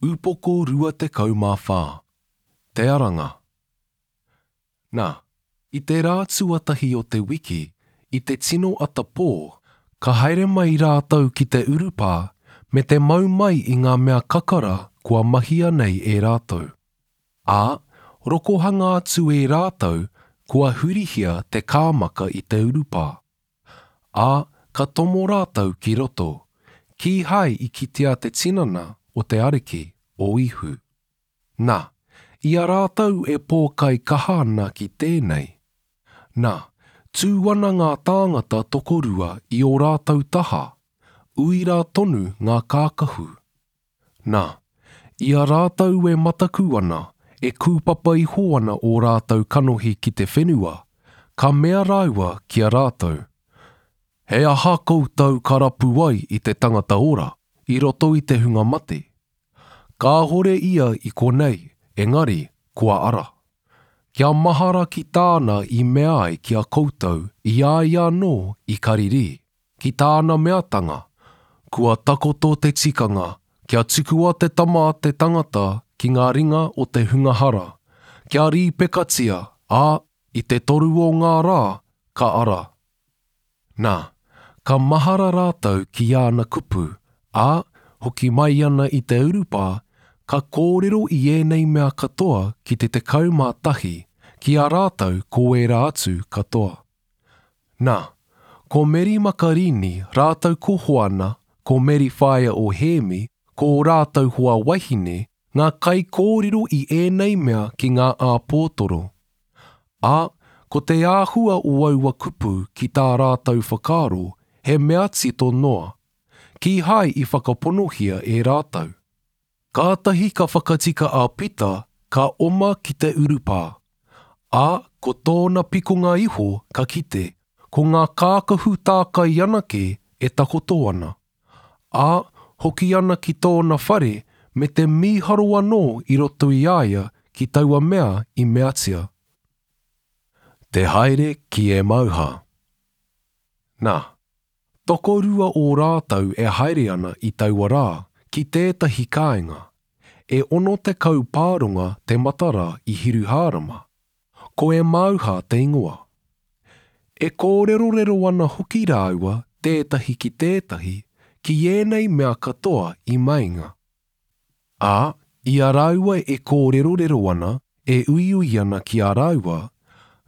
Upoko 24. Te Aranga. Na, i te rā tuatahi o te wiki, i te tino ata pō, ka haere mai rātou ki te urupā me te mau mai i ngā mea kakara kua mahia nei e rātou. Ā, rokohanga atu e rātou kua hurihia te kāmaka i te urupā. Ā, ka tomo rātou ki roto, kīhai i kitea te tinana o te Ariki, o Īhu. Na, i a rātou e pōkai kaha ana ki tēnei, na, tū ana ngā tāngata tokorua i ō rātou taha, uira tonu ngā kākahu. Na, i a rātou e mataku ana, e kūpapa iho ana ō rātou kanohi ki te whenua, ka mea rāua ki a rātou, He aha koutou ka rapu ai i te tangata ora i roto i te hunga mate? Kāhore ia i konei, engari kua ara. Kia mahara ki tāna i mea ai ki a koutou i a ia anō i Karirī. Ki tāna meatanga, Kua takoto te tikanga kia tukua te Tama a te tangata ki ngā ringa o te hunga hara, kia rīpekatia, ā, i te toru o ngā rā ka ara. Nā, ka mahara rātou ki āna kupu, ā, hoki mai ana i te urupā, ka kōrero i ēnei mea katoa ki te 11, ki a rātou ko ērā atu katoa. Nā, ko Meri Makarīni rātou ko Hoana, ko Meri whaea o Hēmi, ko ō rātou hoa wahine, ngā kaikōrero i ēnei mea ki ngā āpōtoro. Ā, ko te āhua o aua kupu ki tā rātou whakaaro, he mea tito noa. Kīhai i whakaponohia e rātou. Kātahi ka whakatika a Pita, ka oma ki te urupā. Ā, ko tōna pikonga iho ka kite, ko ngā kākahu tākai anake e takoto ana. Ā, hoki ana ki tōna whare me te mīharo anō i roto i a ia ki taua mea i meatia. Te haere ki Emauha. Nā, Tokorua o rātou e haere ana i taua rā ki tētahi kāinga, e 60 pāronga te matara i Hiruhārama, ko Emauha te ingoa. E kōrerorero ana hoki rāua tētahi ki tētahi ki ēnei mea katoa i meinga. Ā, i a rāua e kōrerorero ana, e uiui ana ki a rāua,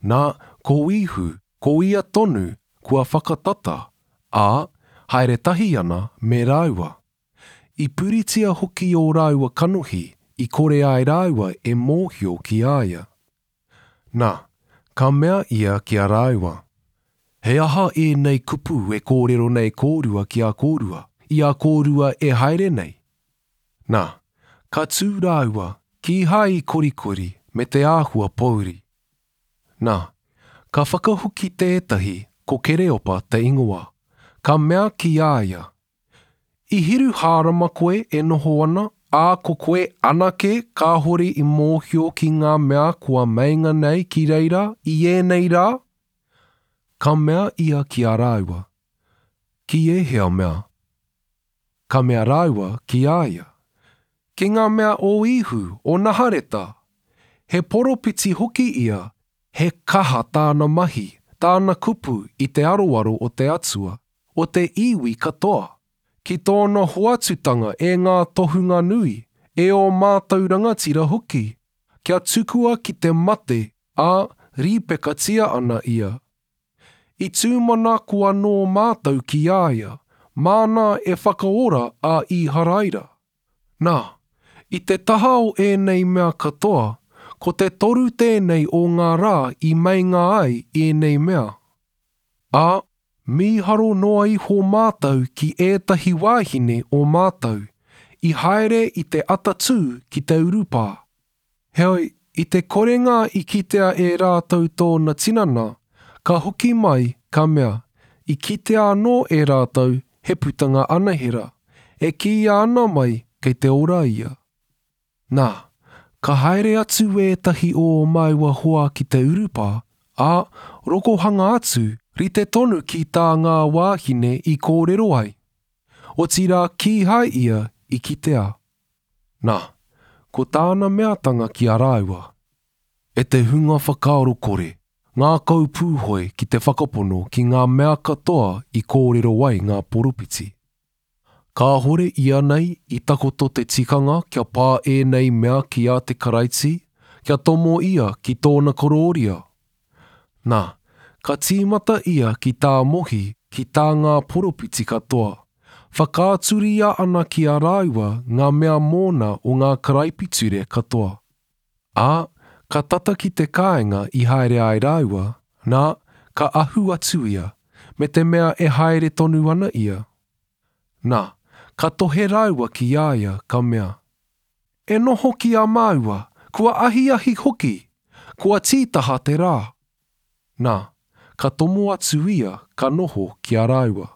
nā, ko Īhu, ko ia tonu kua whakatata, ā, haere tahi ana me rāua. I puritia hoki ō rāua kanohi i kore ai rāua e mōhio ki a ia. Nā, ka mea ia ki a rāua, He aha ēnei kupu e kōrero nei kōrua ki a kōrua, i a kōrua e haere nei? Nā, ka tū rāua, kīhai i korikori me te āhua pōuri. Nā, ka whakahoki tētahi ko Kereopa te ingoa, ka mea ki a ia, I Hiruhārama koe e noho ana, ā, ko koe anake kāhore i mōhio ki ngā mea kua meinga nei ki reira i ēnei rā? Ka mea ia ki a rāua, Ki ēhea mea? Ka mea rāua ki a ia, Ki ngā mea o Īhu, o Nahareta. He poropiti hoki ia, he kaha tāna mahi, tāna kupu i te aroaro o te Atua, o te iwi katoa, ki tōna hoatutanga e ngā tohunga nui, e ō mātou rangatira hoki, kia tukua ki te mate, ā, rīpekatia ana ia. I tūmanako anō mātou ki a ia, māna e whakaora a Īharaira. Nā, i te taha o ēnei mea katoa, ko te toru tēnei o ngā rā i meinga ai ēnei mea. Ā, mīharo noa iho mātou ki ētahi wāhine o mātou, i haere i te atatū ki te urupā. Heoi, i te korenga i kitea e rātou tōna tinana, ka hoki mai, ka mea, i kitea anō e rātou he putanga anahera, e kīia ana mai kei te ora ia. Nā, ka haere atu ētahi o ō māua hoa ki te urupā, ā, rokohanga atu, rite tonu ki tā ngā wāhine i kōrero ai. Otirā kīhai ia i kitea. Nā, ko tāna meatanga ki a rāua, E te hunga whakaaro kore, ngākau pūhoi ki te whakapono ki ngā mea katoa i kōrero ai ngā poropiti. Kāhore ianei i takoto te tikanga kia pā ēnei mea ki a te Karaiti, kia tomo ia ki tōna korōria? Nā, ka tīmata ia ki tā Mohi, ki tā ngā poropiti katoa, whakaaturia ana ki a rāua ngā mea mōna o ngā karaipiture katoa. Ā, ka tata ki te kāinga i haere ai rāua, nā, ka ahu atu ia, me te mea e haere tonu ana ia. Nā, ka tohe rāua ki a ia, ka mea, E noho ki a māua, kua ahiahi hoki, kua tītaha te rā. Nā, ka tomo atu ia, ka noho ki a rāua.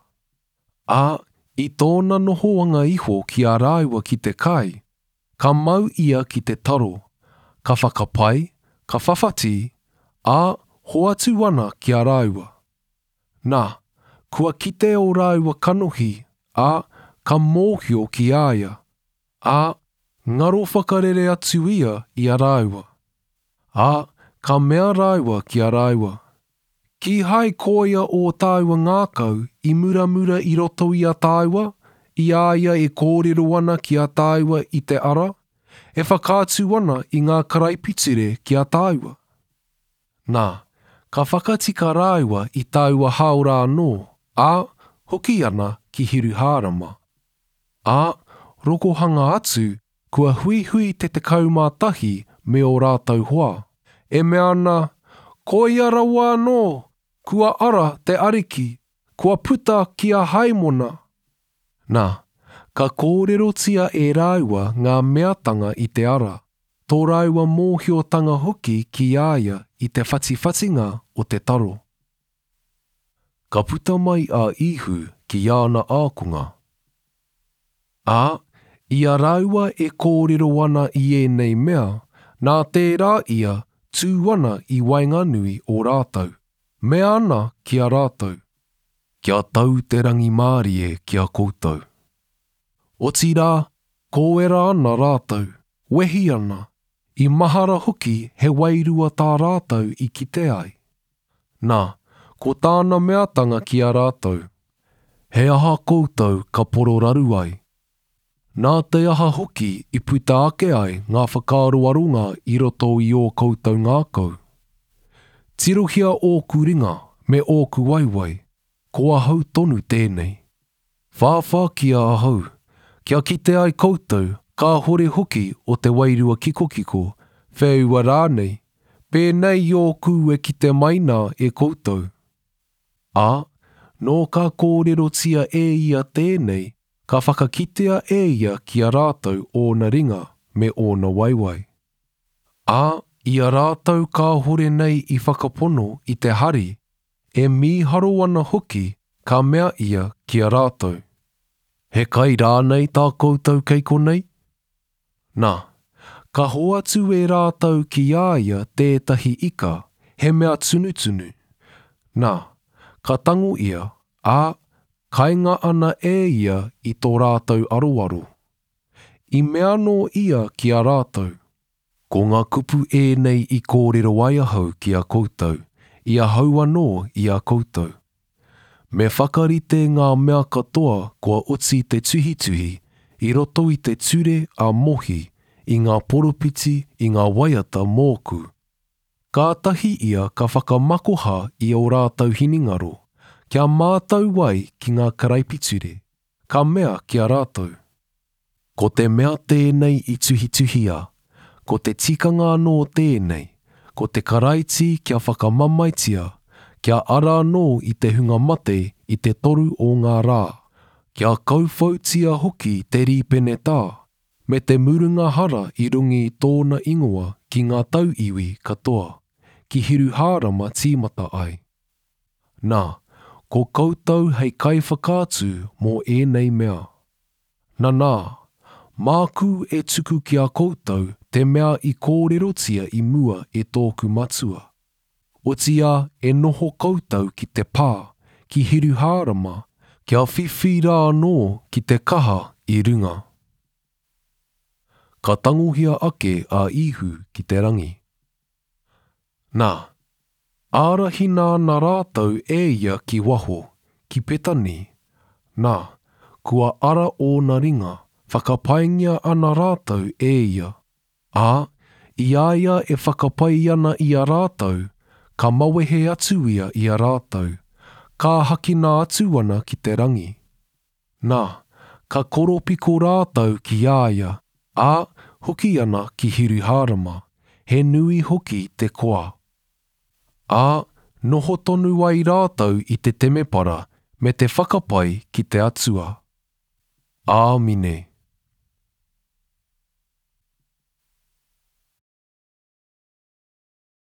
Ā, i tōna nohoanga iho ki a rāua ki te kai, Ka mau ia ki te taro, ka whakapai, ka whawhati, ā, hoatu ana ki a rāua. Nā, kua kite ō rāua kanohi, ā, ka mōhio ki a ia, ā, ngaro whakarere atu ia i a rāua. Ā, ka mea rāua ki a rāua, Kīhai koia ō tāua ngākau i muramura i roto i a tāua, i a ia e kōrero ana ki a tāua i te ara, e whakaatu ana i ngā karaipiture ki a tāua? Nā, ka whakatika rāua i taua hāora anō, ā, hoki ana ki Hiruhārama. Ā, rokohanga atu, kua huihui te 11 me ō rātou hoa, e mea ana, Koia rawa anō, kua ara te Ariki, kua puta ki a Haimona. Nā, ka kōrerotia e rāua ngā meatanga i te ara, tō rāua mōhiotanga hoki ki a ia i te whatiwhatinga o te taro. Ka puta mai a Īhu ki āna ākonga. Ā, i a rāua e kōrero ana i ēnei mea, nā tērā ia tū ana i waenganui o rātou, mea ana ki a rātou. Kia tau te rangimārie ki a koutou. Otirā, kōera ana rātou, wehi ana, i mahara hoki he wairua tā rātou i kite ai. Nā, ko tāna meatanga ki a rātou, He aha koutou ka pororaru ai? Nā te aha hoki i puta ake ai ngā whakaaroaronga i roto i ō koutou ngākau? Tirohia ōku ringa me ōku waewae, ko ahau tonu tēnei. Whāwhākia ahau, kia kite ai koutou kāhore hoki o te wairua kikokiko, wheua rānei, pēnei i ōku e kite mai nā e koutou. Ā, nō ka kōrerotia e ia tēnei, ka whakakitea e ia ki a rātou ōna ringa me ōna waewae. Ā, i a rātou kāhore nei i whakapono i te hari, e mīharo ana hoki, ka mea ia ki a rātou, He kai rānei tā koutou kei konei? Nā, ka hoatu e rātou ki a ia tētahi ika, he mea tunutunu. Nā, ka tango ia, ā, kainga ana e ia i tō rātou aroaro. I mea anō ia ki a rātou, Ko ngā kupu ēnei i kōrero ai ahau ki a koutou, i ahau anō i a koutou. Me whakarite ngā mea katoa kua oti te tuhituhi i roto i te ture a Mohi, i ngā poropiti, i ngā waiata mōku. Kātahi ia ka whakamakoha i ō rātou hinengaro, kia mātau ai ki ngā karaipiture, ka mea ki a rātou. Ko te mea tēnei i tuhituhia, ko te tikanga anō tēnei, ko te Karaiti kia whakamamaetia, kia ara anō i te hunga mate i te toru o ngā rā, kia kauwhautia hoki te rīpenetā, me te murunga hara i runga i tōna ingoa ki ngā tauiwi katoa, ki Hiruhārama tīmata ai. Nā, ko koutou hei kaiwhakaatu mō ēnei mea. Nanā, māku e tuku ki a koutou te mea i kōrerotia i mua e tōku Matua. Otiia e noho koutou ki te pā, ki Hiruhārama, kia whiwhi rā anō ki te kaha i runga. ka tangohia ake a Īhu ki te rangi. Nā, ārahina ana rātou e ia ki waho, ki Petani, nā, kua ara ōna ringa, whakapaingia ana rātou e ia. Ā, i a ia e whakapai ana i a rātou, ka mawehe atu ia i a rātou, kāhakina atu ana ki te rangi. Nā, ka koropiko rātou ki a ia, ā, hoki ana ki Hiruhārama, he nui hoki te koa. Ā, noho tonu ai rātou i te temepara me te whakapai ki te Atua. Āmine.